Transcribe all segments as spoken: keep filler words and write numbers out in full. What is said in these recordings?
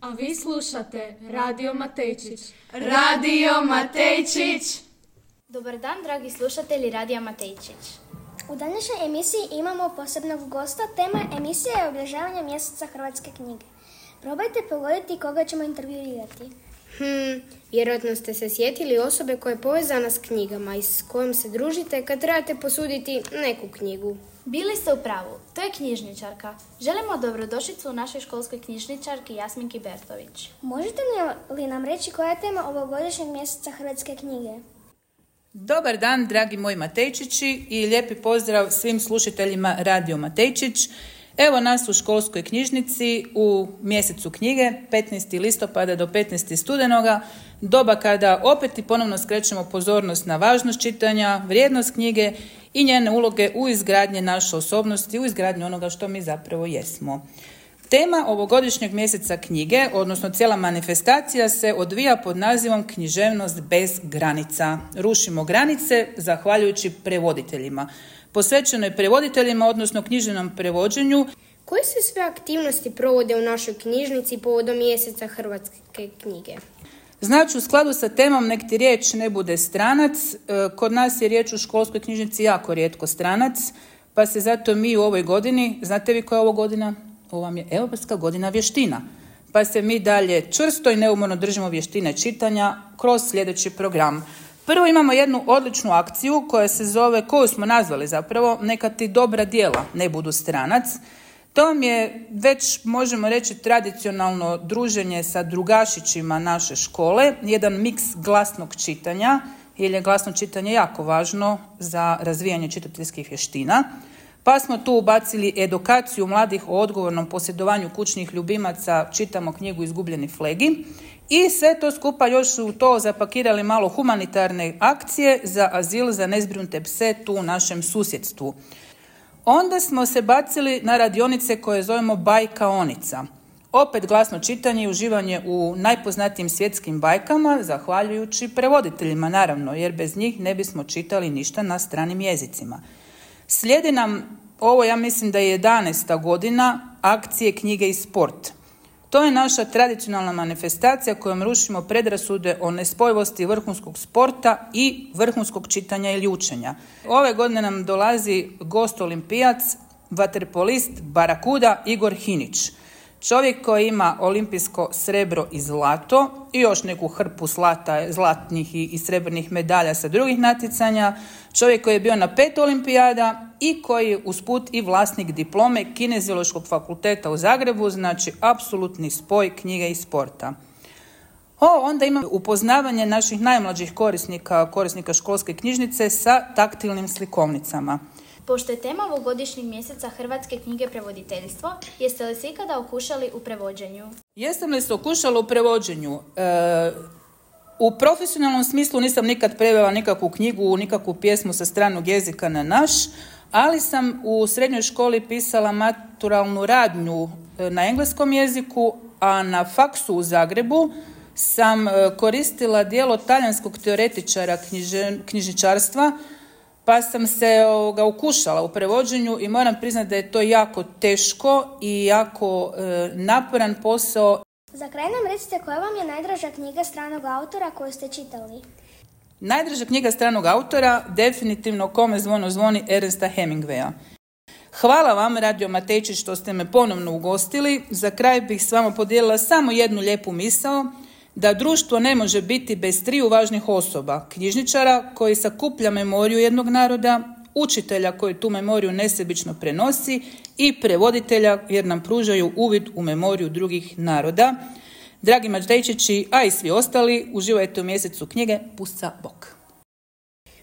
A vi slušate Radio Matejčić. Radio Matejčić! Dobar dan, dragi slušatelji Radija Matejčić. U današnjoj emisiji imamo posebnog gosta. Tema emisije je obilježavanje mjeseca hrvatske knjige. Probajte pogoditi koga ćemo intervjuirati. Hmm, vjerojatno ste se sjetili osobe koja je povezana s knjigama i s kojom se družite kad trebate posuditi neku knjigu. Bili ste u pravu, to je knjižničarka. Želimo dobrodošlicu u našoj školskoj knjižničarki Jasminki Bertović. Možete li nam reći koja je tema ovogodišnjeg mjeseca hrvatske knjige? Dobar dan, dragi moji Matejčići, i lijepi pozdrav svim slušateljima Radio Matejčić. Evo nas u školskoj knjižnici u mjesecu knjige, petnaestog listopada do petnaestog studenoga, doba kada opet i ponovno skrećemo pozornost na važnost čitanja, vrijednost knjige i njene uloge u izgradnji naše osobnosti, u izgradnji onoga što mi zapravo jesmo. Tema ovogodišnjeg mjeseca knjige, odnosno cijela manifestacija, se odvija pod nazivom Književnost bez granica. Rušimo granice zahvaljujući prevoditeljima. Posvećeno je prevoditeljima, odnosno književnom prevođenju. Koje se sve aktivnosti provode u našoj knjižnici povodom mjeseca hrvatske knjige? Znači, u skladu sa temom nek ti riječ ne bude stranac, kod nas je riječ u školskoj knjižnici jako rijetko stranac, pa se zato mi u ovoj godini, znate vi koja je ovo godina? Ovo vam je Europska godina vještina. Pa se mi dalje čvrsto i neumorno držimo vještine čitanja kroz sljedeći program. Prvo imamo jednu odličnu akciju koja se zove, koju smo nazvali zapravo, Neka ti dobra djela ne budu stranac. To vam je već, možemo reći, tradicionalno druženje sa drugašićima naše škole, jedan miks glasnog čitanja, jer je glasno čitanje jako važno za razvijanje čitateljskih vještina. Pa smo tu ubacili edukaciju mladih o odgovornom posjedovanju kućnih ljubimaca, čitamo knjigu Izgubljeni flegi, i sve to skupa još su to zapakirali malo humanitarne akcije za azil za nezbrinute pse tu u našem susjedstvu. Onda smo se bacili na radionice koje zovemo bajkaonica. Opet glasno čitanje i uživanje u najpoznatijim svjetskim bajkama, zahvaljujući prevoditeljima naravno, jer bez njih ne bismo čitali ništa na stranim jezicima. Slijedi nam, ovo ja mislim da je jedanaesta godina, akcije Knjige i sport. To je naša tradicionalna manifestacija kojom rušimo predrasude o nespojivosti vrhunskog sporta i vrhunskog čitanja ili učenja. Ove godine nam dolazi gost olimpijac, vaterpolist Barakuda Igor Hinić. Čovjek koji ima olimpijsko srebro i zlato i još neku hrpu zlata, zlatnih i, i srebrnih medalja sa drugih natjecanja. Čovjek koji je bio na pet olimpijada i koji je usput i vlasnik diplome Kineziološkog fakulteta u Zagrebu, znači apsolutni spoj knjige i sporta. O, onda imamo upoznavanje naših najmlađih korisnika, korisnika školske knjižnice sa taktilnim slikovnicama. Pošto je tema ovogodišnjeg mjeseca hrvatske knjige prevoditeljstvo, jeste li se ikada okušali u prevođenju? Jesam li se okušala u prevođenju? E, u profesionalnom smislu nisam nikad prevela nikakvu knjigu, nikakvu pjesmu sa stranog jezika na naš, ali sam u srednjoj školi pisala maturalnu radnju na engleskom jeziku, a na faksu u Zagrebu sam koristila djelo talijanskog teoretičara knjiže, knjižničarstva, pa sam se ovoga, ukušala u prevođenju i moram priznati da je to jako teško i jako e, naporan posao. Za kraj nam recite koja vam je najdraža knjiga stranog autora koju ste čitali? Najdraža knjiga stranog autora definitivno Kome zvono zvoni Ernesta Hemingwaya. Hvala vam, Radio Matejčić, što ste me ponovno ugostili. Za kraj bih s vama podijelila samo jednu lijepu misao, da društvo ne može biti bez triju važnih osoba: knjižničara koji sakuplja memoriju jednog naroda, učitelja koji tu memoriju nesebično prenosi i prevoditelja jer nam pružaju uvid u memoriju drugih naroda. Dragi Matejčići, a i svi ostali, uživajte u mjesecu knjige. Pusa bok!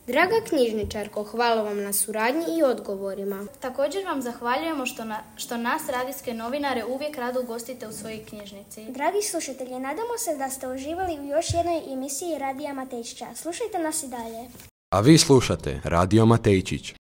Draga knjižničarko, hvala vam na suradnji i odgovorima. Također vam zahvaljujemo što, na, što nas, radijske novinare, uvijek rado ugostite u svojoj knjižnici. Dragi slušatelji, nadamo se da ste uživali u još jednoj emisiji Radija Matejčića. Slušajte nas i dalje. A vi slušate Radio Matejčić.